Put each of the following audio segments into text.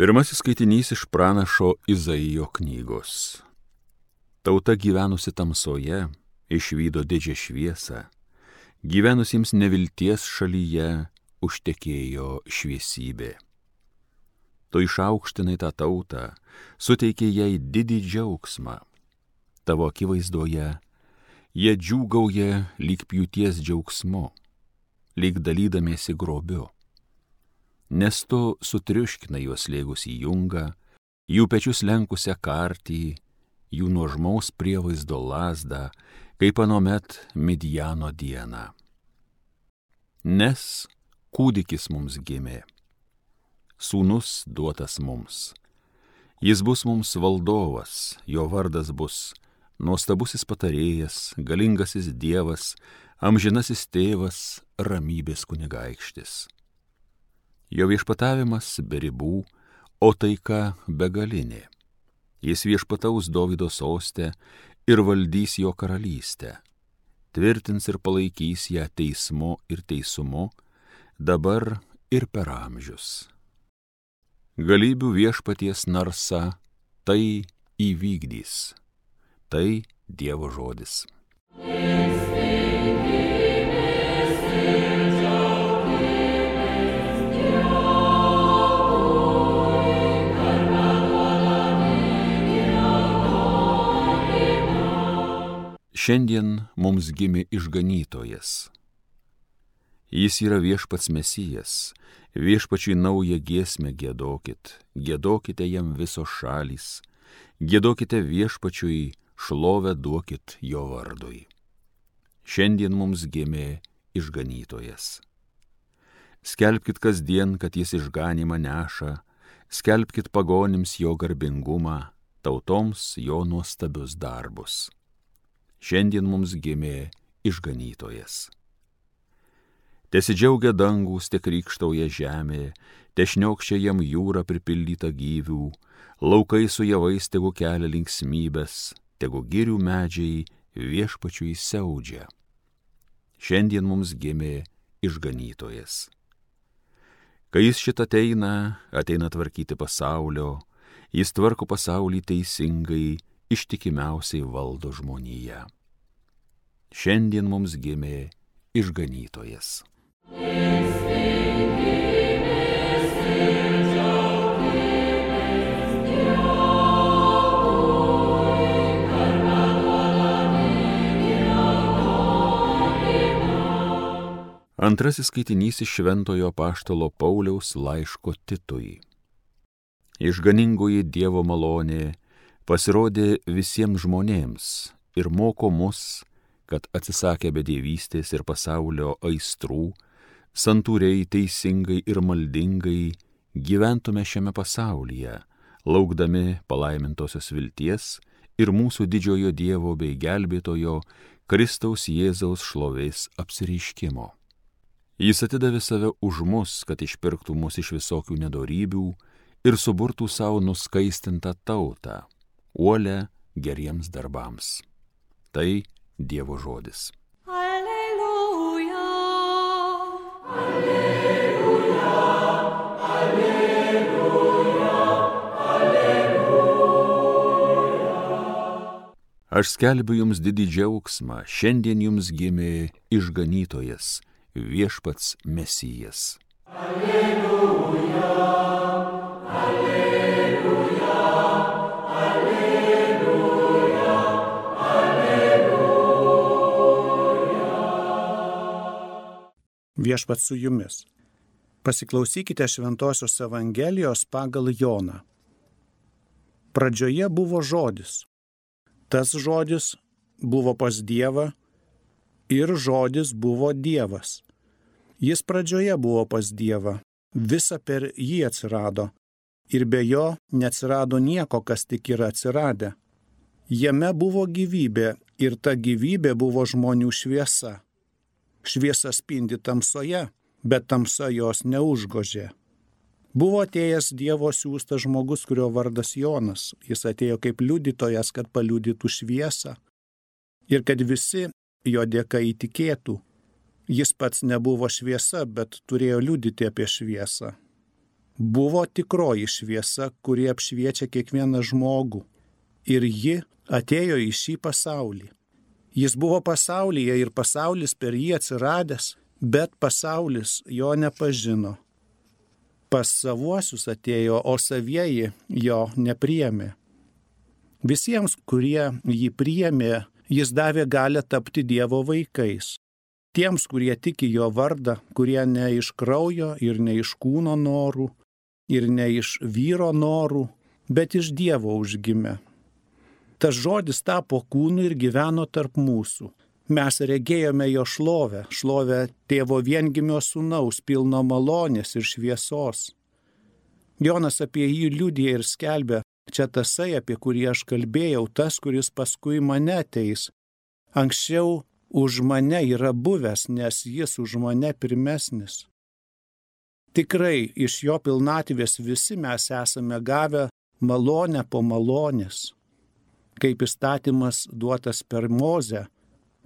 Pirmasis skaitinys iš pranašo Izaijo knygos. Tauta gyvenusi tamsoje išvydo didžią šviesą, gyvenusiems nevilties šalyje užtekėjo šviesybė. Tu išaukštinai tą tautą, suteikė jai didį džiaugsmą. Tavo akivaizdoje jie džiūgauja lyg pjūties džiaugsmu, lyg dalydamiesi grobiu. Nes tu sutriuškinai juos slėgusį jungą, jų pečius lenkusią kartį, jų nuožmaus prievaizdo lazdą, kaip anuomet Midjano dieną. Nes kūdikis mums gimė, sūnus duotas mums. Jis bus mums valdovas, jo vardas bus nuostabusis patarėjas, galingasis Dievas, amžinasis tėvas, ramybės kunigaikštis. Jo viešpatavimas be ribų, o taika begalinė. Jis viešpataus Dovydo soste ir valdys jo karalystę. Tvirtins ir palaikys ją teismu ir teisumu, dabar ir per amžius. Galybių viešpaties narsa tai įvykdys. Tai Dievo žodis. Šiandien mums gimė išganytojas. Jis yra viešpats Mesijas, viešpačiui naują giesmę giedokit, giedokite jam visos šalys, giedokite viešpačiui, šlovę duokit jo vardui. Šiandien mums gimė išganytojas. Skelbkit kasdien, kad jis išganymą neša, skelbkit pagonims jo garbingumą, tautoms jo nuostabius darbus. Šiandien mums gimė išganytojas. Tesidžiaugia dangūs, te krykštauja žemė, te šniokščia jam jūra pripildyta gyvių, laukai su javais tegu kelia linksmybės, tegu girių medžiai viešpačiui siaudžia. Šiandien mums gimė išganytojas. Kai jis šitą ateina tvarkyti pasaulio, jis tvarko pasaulį teisingai, ištikimiausiai valdo žmoniją. Šiandien mums gimė išganytojas. Antrasis skaitinys iš Šventojo apaštalo Pauliaus laiško Titui. Išganingoji Dievo malonė pasirodė visiems žmonėms ir moko mus, kad atsisakę bedievystės ir pasaulio aistrų, santūriai, teisingai ir maldingai gyventume šiame pasaulyje, laukdami palaimintosios vilties ir mūsų didžiojo Dievo bei gelbėtojo Kristaus Jėzaus šlovės apsireiškimo. Jis atidavė save už mus, kad išpirktų mus iš visokių nedorybių ir suburtų savo nuskaistintą tautą, uolę geriems darbams. Tai Dievo žodis. Alleluja, alleluja, alleluja, alleluja. Aš skelbiu jums didį džiaugsmą, šiandien jums gimė išganytojas, viešpats Mesijas. Alleluja, alleluja. Viešpats su jumis. Pasiklausykite Šventosios Evangelijos pagal Joną. Pradžioje buvo žodis. Tas žodis buvo pas Dievą ir žodis buvo Dievas. Jis pradžioje buvo pas Dievą, visa per jį atsirado ir be jo neatsirado nieko, kas tik yra atsiradę. Jame buvo gyvybė ir ta gyvybė buvo žmonių šviesa. Šviesa spindi tamsoje, bet tamsa jos neužgožė. Buvo atėjęs Dievo siųstas žmogus, kurio vardas Jonas. Jis atėjo kaip liudytojas, kad paliudytų šviesą ir kad visi jo dėka įtikėtų. Jis pats nebuvo šviesa, bet turėjo liudyti apie šviesą. buvo tikroji šviesa, kuri apšviečia kiekvieną žmogų. Ir ji atėjo į šį pasaulį. Jis buvo pasaulyje ir pasaulis per jį atsiradęs, bet pasaulis jo nepažino. Pas savuosius atėjo, o savieji jo nepriėmė. Visiems, kurie jį priėmė, jis davė galią tapti Dievo vaikais. Tiems, kurie tiki jo vardą, kurie ne iš kraujo ir ne iš kūno norų, ir ne iš vyro norų, bet iš Dievo užgimė. Tas žodis tapo kūnu ir gyveno tarp mūsų. Mes regėjome jo šlovę, šlovę tėvo viengimio sūnaus, pilno malonės ir šviesos. Jonas apie jį liudija ir skelbia, čia tasai, apie kurį aš kalbėjau, tas, kuris paskui mane ateis. Anksčiau už mane yra buvęs, nes jis už mane pirmesnis. Tikrai iš jo pilnatvės visi mes esame gavę malonę po malonės. Kaip įstatymas duotas per Mozę,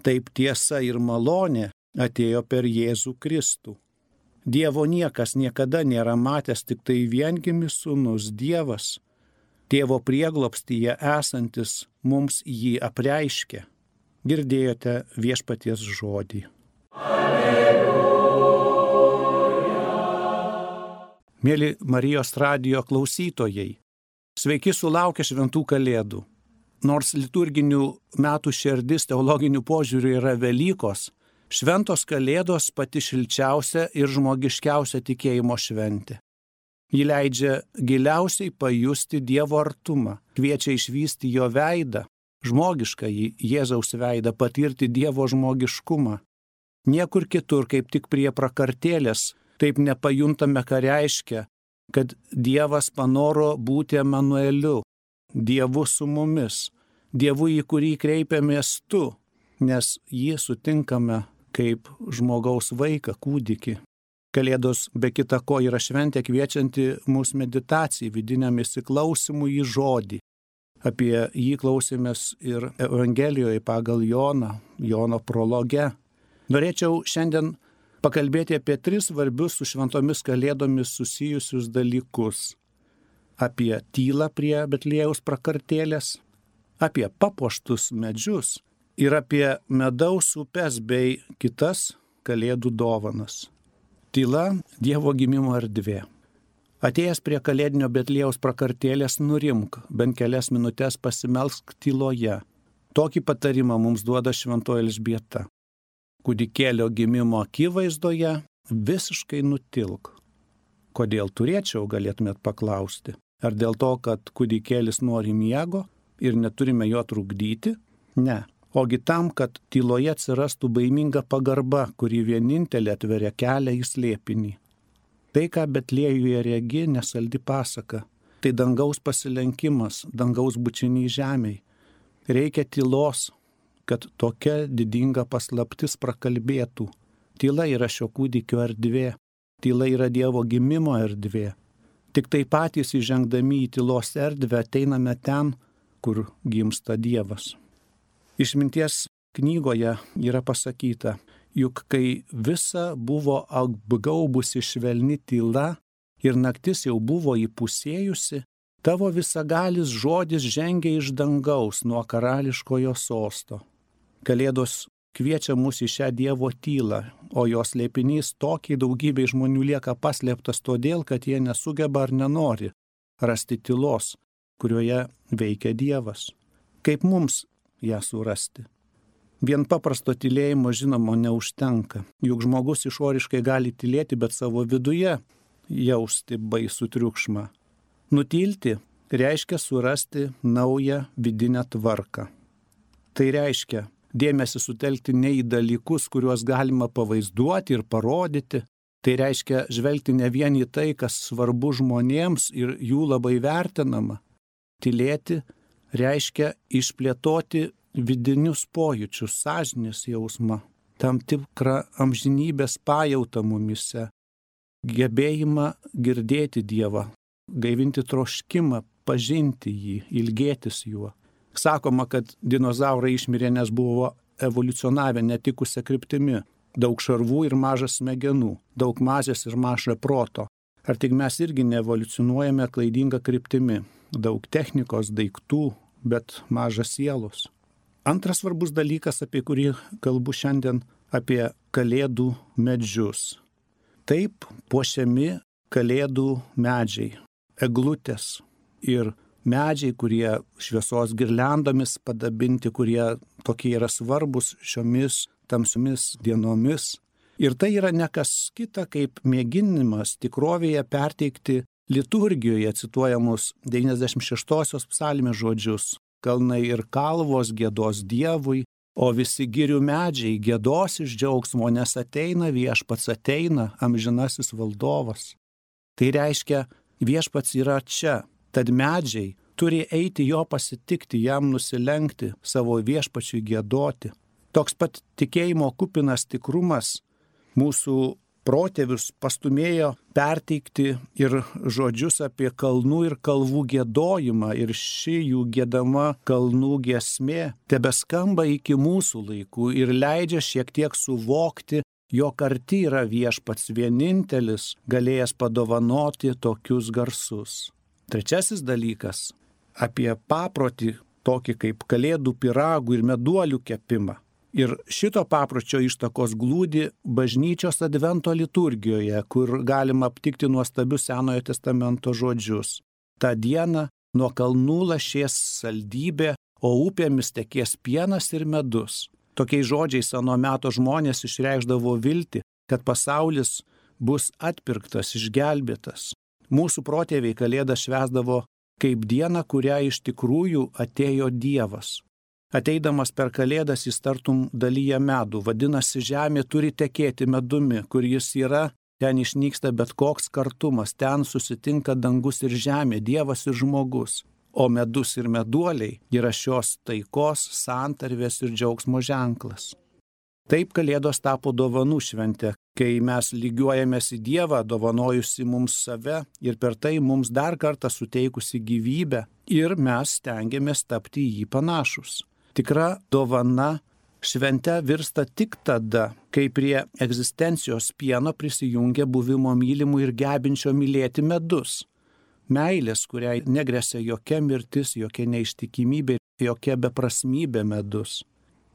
taip tiesa ir malonė atėjo per Jėzų Kristų. Dievo niekas niekada nėra matęs, tik tai viengimis sūnus Dievas, tėvo prieglobstyje esantis, mums jį apreiškė. Girdėjote viešpaties žodį. Mėly Marijos radijo klausytojai, sveiki sulaukę šventų kalėdų. Nors liturginių metų šerdis teologinių požiūrių yra Velykos, šventos kalėdos pati šilčiausia ir žmogiškiausia tikėjimo šventė. Ji leidžia giliausiai pajusti Dievo artumą, kviečia išvysti jo veidą, žmogiškąjį Jėzaus veidą, patirti Dievo žmogiškumą. Niekur kitur, kaip tik prie prakartėlės, taip nepajuntame, ką reiškia, kad Dievas panoro būti Emanueliu, Dievu su mumis, Dievu, į kurį kreipiamės tu, nes jį sutinkame kaip žmogaus vaiką, kūdikį. Kalėdos be kita ko yra šventė kviečianti mūsų meditacijai, vidiniam įsiklausimui į žodį. Apie jį klausėmės ir Evangelijoje pagal Jono prologe. Norėčiau šiandien pakalbėti apie 3 svarbius su šventomis kalėdomis susijusius dalykus. Apie tylą prie Betliejaus prakartėlės, apie papuoštus medžius ir apie medaus upes bei kitas kalėdų dovanas. Tyla – Dievo gimimo erdvė. Atėjęs prie kalėdinio Betliejaus prakartėlės nurimk, bent kelias minutės pasimelsk tyloje. Tokį patarimą mums duoda šventoji Elžbieta. Kūdikėlio gimimo akivaizdoje visiškai nutilk. Kodėl turėčiau, galėtumėt paklausti. Ar dėl to, kad kūdikėlis nori miego ir neturime jo trukdyti? Ne. Ogi tam, kad tyloje atsirastų baiminga pagarba, kuri vienintelė atveria kelią į slėpinį. Tai, ką Betliejuje regi, nesaldi pasaka. Tai dangaus pasilenkimas, dangaus bučiniai žemėj. Reikia tylos, kad tokia didinga paslaptis prakalbėtų. Tyla yra šio kūdikio erdvė. Tyla yra Dievo gimimo erdvė. Tik tai patys įžengdami į tylos erdvę ateiname ten, kur gimsta Dievas. Išminties knygoje yra pasakyta, juk kai visa buvo apgaubusi švelni tyla ir naktis jau buvo įpusėjusi, tavo visagalis žodis žengia iš dangaus nuo karališkojo sosto. Kalėdos kviečia mus į šią Dievo tylą, o jos slėpinys tokiai daugybei žmonių lieka paslėptas todėl, kad jie nesugeba ar nenori rasti tylos, kurioje veikia Dievas. Kaip mums ją surasti? Vien paprasto tylėjimo žinoma neužtenka, juk žmogus išoriškai gali tylėti, bet savo viduje jausti baisų triukšmą. Nutilti reiškia surasti naują vidinę tvarką. Tai reiškia dėmesį sutelkti ne į dalykus, kuriuos galima pavaizduoti ir parodyti. Tai reiškia žvelgti ne vien į tai, kas svarbu žmonėms ir jų labai vertinama. Tylėti reiškia išplėtoti vidinius pojūčius, sąžinės jausmą, tam tikrą amžinybės pajautą mumise, gebėjimą girdėti Dievą, gaivinti troškimą, pažinti jį, ilgėtis juo. Sakoma, kad dinozaurai išmirė, nes buvo evoliucionavę netikusią kryptimi. Daug šarvų ir mažas smegenų, daug mazės ir maža proto. Ar tik mes irgi neevoliucionuojame klaidingą kryptimi? Daug technikos, daiktų, bet mažas sielos. Antras svarbus dalykas, apie kurį kalbu šiandien, apie kalėdų medžius. Taip puošiami kalėdų medžiai, eglutės ir medžiai, kurie šviesos girliandomis padabinti, kurie tokie yra svarbus šiomis tamsiomis dienomis. Ir tai yra ne kas kita, kaip mėginimas tikrovėje perteikti liturgijoje cituojamus 96-osios psalmės žodžius. Kalnai ir kalvos giedos Dievui, o visi girių medžiai giedos iš džiaugsmo, nes ateina viešpats, ateina amžinasis valdovas. Tai reiškia, viešpats yra čia, tad medžiai turi eiti jo pasitikti, jam nusilenkti, savo viešpačiui giedoti. Toks pat tikėjimo kupinas tikrumas mūsų protėvius pastumėjo perteikti ir žodžius apie kalnų ir kalvų giedojimą, ir ši jų giedama kalnų giesmė tebeskamba iki mūsų laikų ir leidžia šiek tiek suvokti, jog arti yra viešpats vienintelis, galėjęs padovanoti tokius garsus. Trečiasis dalykas – apie paprotį tokį kaip kalėdų pyragų ir meduolių kepimą. Ir šito papročio ištakos glūdi bažnyčios advento liturgijoje, kur galima aptikti nuostabius Senojo testamento žodžius. Ta diena nuo kalnų lašės saldybė, o upėmis tekės pienas ir medus. Tokiais žodžiais ano meto žmonės išreikšdavo viltį, kad pasaulis bus atpirktas, išgelbėtas. Mūsų protėviai kalėdą švęsdavo kaip dieną, kurią iš tikrųjų atėjo Dievas. Ateidamas per kalėdas jis tartum dalyja medų, vadinasi, žemė turi tekėti medumi, kur jis yra, ten išnyksta bet koks kartumas, ten susitinka dangus ir žemė, Dievas ir žmogus, o medus ir meduoliai yra šios taikos, santarvės ir džiaugsmo ženklas. Taip kalėdos tapo dovanų šventė, kai mes lygiuojamės į Dievą, dovanojusi mums save ir per tai mums dar kartą suteikusi gyvybę ir mes stengiamės tapti jį panašus. Tikra dovana švente virsta tik tada, kai prie egzistencijos pieno prisijungia buvimo mylimų ir gebinčio mylėti medus. Meilės, kuriai negresia jokia mirtis, jokia neištikimybė, jokia beprasmybė medus.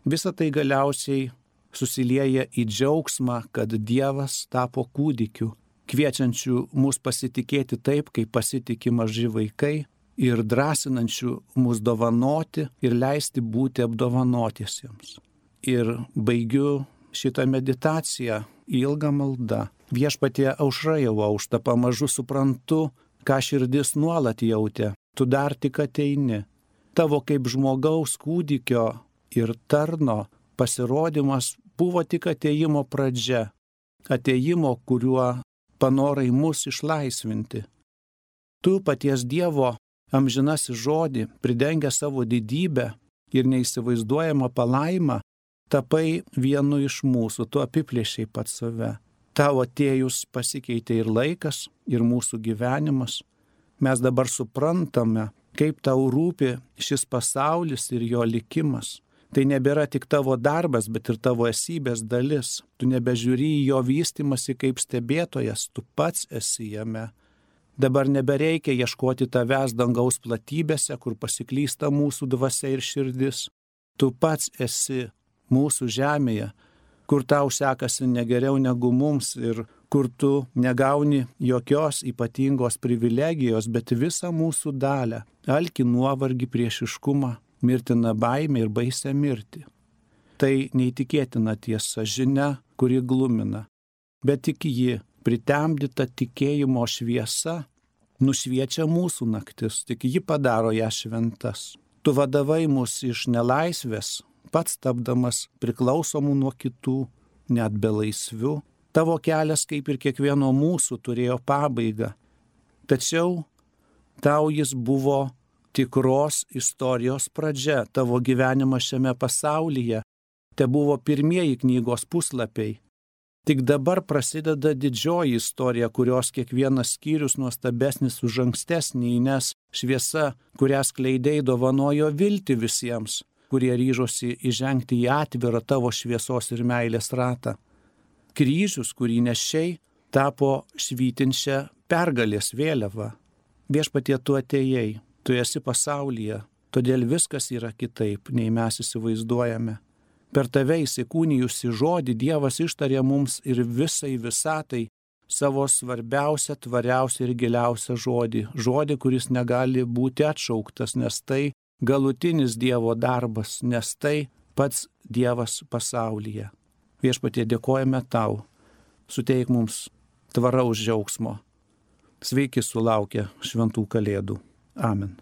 Visa tai galiausiai susilieja į džiaugsmą, kad Dievas tapo kūdikiu, kviečiančiu mus pasitikėti taip, kaip pasitikė maži vaikai, ir drąsinančių mus dovanoti ir leisti būti apdovanotiesiems. Ir baigiu šitą meditaciją ilgą maldą. Viešpatie, aušra jau aušta, pamažu suprantu, ką širdis nuolat jautė. Tu dar tik ateini. Tavo kaip žmogaus kūdikio ir tarno pasirodymas buvo tik atėjimo pradžia. Atėjimo, kuriuo panorai mus išlaisvinti. Tu paties Dievo amžinasis žodį, pridengę savo didybę ir neįsivaizduojamą palaimą, tapai vienu iš mūsų, tu apiplėšiai pats save. Tavo atėjus pasikeitė ir laikas, ir mūsų gyvenimas. Mes dabar suprantame, kaip tau rūpi šis pasaulis ir jo likimas. Tai nebėra tik tavo darbas, bet ir tavo esybės dalis. Tu nebežiūri į jo vystymasi kaip stebėtojas, tu pats esi jame. Dabar nebereikia ieškoti tavęs dangaus platybėse, kur pasiklysta mūsų dvasia ir širdis. Tu pats esi mūsų žemėje, kur tau sekasi negeriau negu mums ir kur tu negauni jokios ypatingos privilegijos, bet visą mūsų dalią, alkį, nuovargį, priešiškumą, mirtiną baimę ir baisę mirtį. Tai neįtikėtina tiesa, žinia, kuri glumina, bet tik ji, pritemdyta tikėjimo šviesa, nušviečia mūsų naktis, tik ji padaro ją šventas. Tu vadavai mus iš nelaisvės, pats tapdamas priklausomų nuo kitų, net belaisvių. Tavo kelias, kaip ir kiekvieno mūsų, turėjo pabaigą. Tačiau tau jis buvo tikros istorijos pradžia. Tavo gyvenimas šiame pasaulyje te buvo pirmieji knygos puslapiai. Tik dabar prasideda didžioji istorija, kurios kiekvienas skyrius nuostabesnis už ankstesnį, nes šviesa, kurią skleidei, dovanojo viltį visiems, kurie ryžosi įžengti į atvirą tavo šviesos ir meilės ratą. Kryžius, kurį nešiai, tapo švytinčia pergalės vėliava. Viešpatie, tu atėjai, tu esi pasaulyje, todėl viskas yra kitaip, nei mes įsivaizduojame. Per tave įsikūnijusi žodį Dievas ištarė mums ir visai visatai savo svarbiausią, tvariausią ir giliausią žodį. Žodį, kuris negali būti atšauktas, nes tai galutinis Dievo darbas, nes tai pats Dievas pasaulyje. Viešpatie, dėkojame tau, suteik mums tvaraus džiaugsmo. Sveiki sulaukę šventų kalėdų. Amen.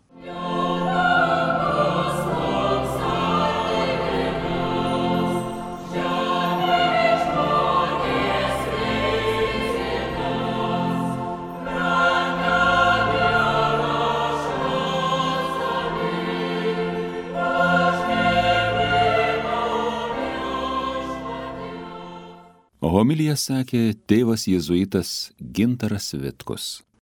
Homiliją sakė tėvas jėzuitas Gintaras Vitkus.